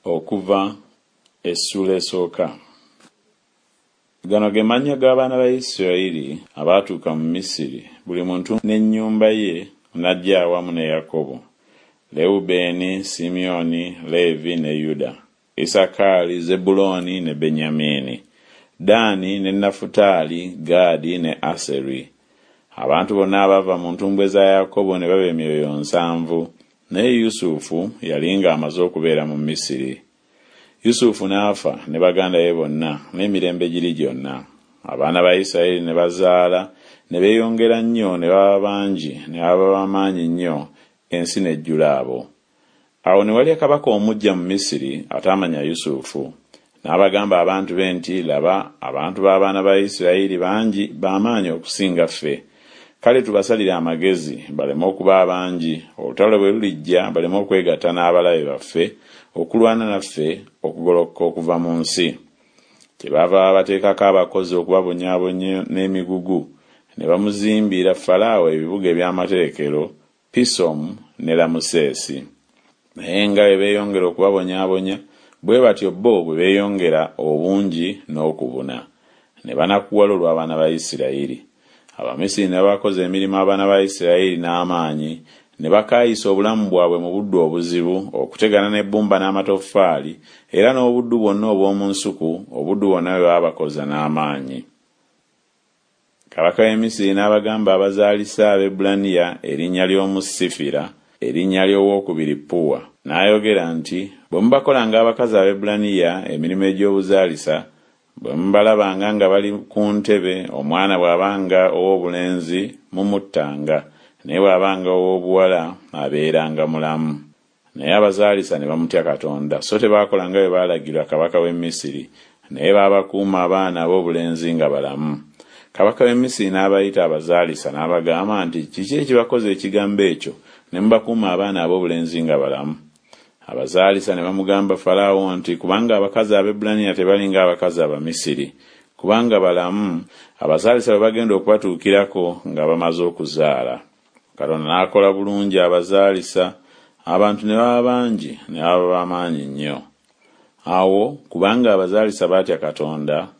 Okuva essuula esooka. Gano ge mannya g'abaana ba Isirayiri abaatuuka mu Misiri, buli muntu n'ennyumba ye n'ajja awamu ne Yakobo, Lewubeeni, Simyoni, Leevi ne Yuda, Isakaali, Zebbulooni ne Benyamini, Ddaani ne Nafutaali, Gaadi ne Aseri. Abantu bonna abaava mu ntumbwe za Yakobo ne baba emyoyo nsanvu, naye Yusufu yali ng'amaze okubeera mu Misiri. Yusufu n'afa ne baganda be bonna n'emirembe giri gyonna. Abaana ba Isirayiri ne bazaala ne beeyongera nnyo ne baba bangi ne baba ba maanyi nnyo, ensi n'ejjula abo. Awo ne walya kabaka omuggya mu Misiri ataamanya Yusufu. N'abagamba abantu be nti, Laba, abantu b'abaana ba Isirayiri bangi ba maanyi okusinga ffe. Kale tubasalire amagezi, baleme okuba abangi, olutalo bwe lulijja baleme okwegatta n'abalabe baffe okulwana naffe okugolokoka okuva mu nsi. Kyebaava babateekako abakozi okubabonyaabonya n'emigugu, ne bamuzimbira Falaawo ebibuga eby'amaterekero, Pisomu ne Lamuseesi. Naye nga bwe beeyongera okubabonyaabonya, bwe batyo bo bwe beeyongera obungi n'okubuna, ne banakuwala olw'abaana ba Isirayiri. Abamisiri ne babakoza emirimu abaana ba Isirayiri n'amaanyi, ne bakaayisa obulamu bwabwe mu buddu obuzibu, okutegana n'ebbumba n'amatoffaali, era n'obuddu bwonna obw'omu nsuku, obuddu bwonna bwe baabakoza n'amaanyi. Kabaka w'e Misiri n'abagamba abazaalisa Abaebbulaniya erinnya ly'omu Sifira, erinnya ly'ow'okubiri Puwa. N'ayogera nti Bwe mubakolanga abakazi Abaebbulaniya emirimu egy'obuzaalisa, bwe mubalabanga nga bali ku ntebe, omwana bw'abanga ow'obulenzi mumuttanga, naye bw'abanga ow'obuwala abeeranga mulamu. Naye abazaalisa ne bamutya Katonda, so tebaakola nga bwe baalagirwa kabaka w'e Misiri, naye baabakuuma abaana ab'obulenzi nga balamu. Kabaka w'e Misiri n'abayita abazaalisa n'abagamba nti Kiki ekibakoza ekigambo ekyo, ne mubakuuma abaana ab'obulenzi nga balamu? Abazaalisa ne bamugamba Falaawo nti Kubanga abakazi Abaebbulaniya tebali ng'abakazi Abamisiri, kubanga balamu, abazaalisa bwe bagenda okubatuukirako nga bamaze okuzaala. Katonda n'akola bulungi abazaalisa, abantu ne baba bangi, ne baba ba maanyi nnyo. Awo kubanga abazaalisa baatya Katonda,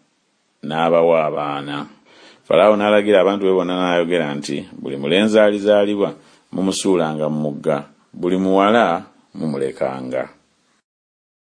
n'abawa abaana. Falaawo n'alagira abantu be bonna n'ayogera nti Buli mulenzi alizaalibwa mumusuulanga mu mugga, buli muwala mumulekanga.